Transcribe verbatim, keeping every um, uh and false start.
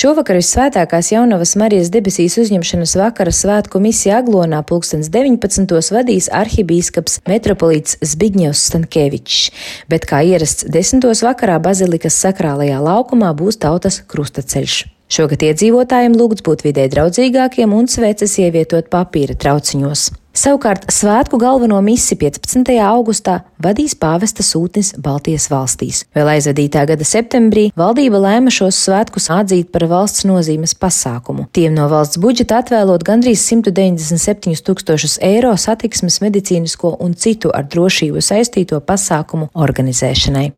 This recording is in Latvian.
Šovakar Visvētākās Jaunavas Marijas debesīs uzņemšanas vakara svētku misiju Aglonā pulkstens deviņpadsmitos vadīs arhibīskaps metropolīts Zbigņevs Stankēvičs, bet kā ierasts desmitos vakarā bazilikas sakrālajā laukumā būs tautas krustaceļš. Šogad iedzīvotājiem lūgts būt vidē draudzīgākiem un sveces ievietot papīra trauciņos. Savukārt svētku galveno misiju piecpadsmitajā augustā vadīs pāvesta sūtnis Baltijas valstīs. Vēl aizvadītā gada septembrī valdība lēma šos svētkus atzīt par valsts nozīmes pasākumu. Tiem no valsts budžeta atvēlot gandrīz simt deviņdesmit septiņus tūkstošus eiro satiksmes, medicīnisko un citu ar drošību saistīto pasākumu organizēšanai.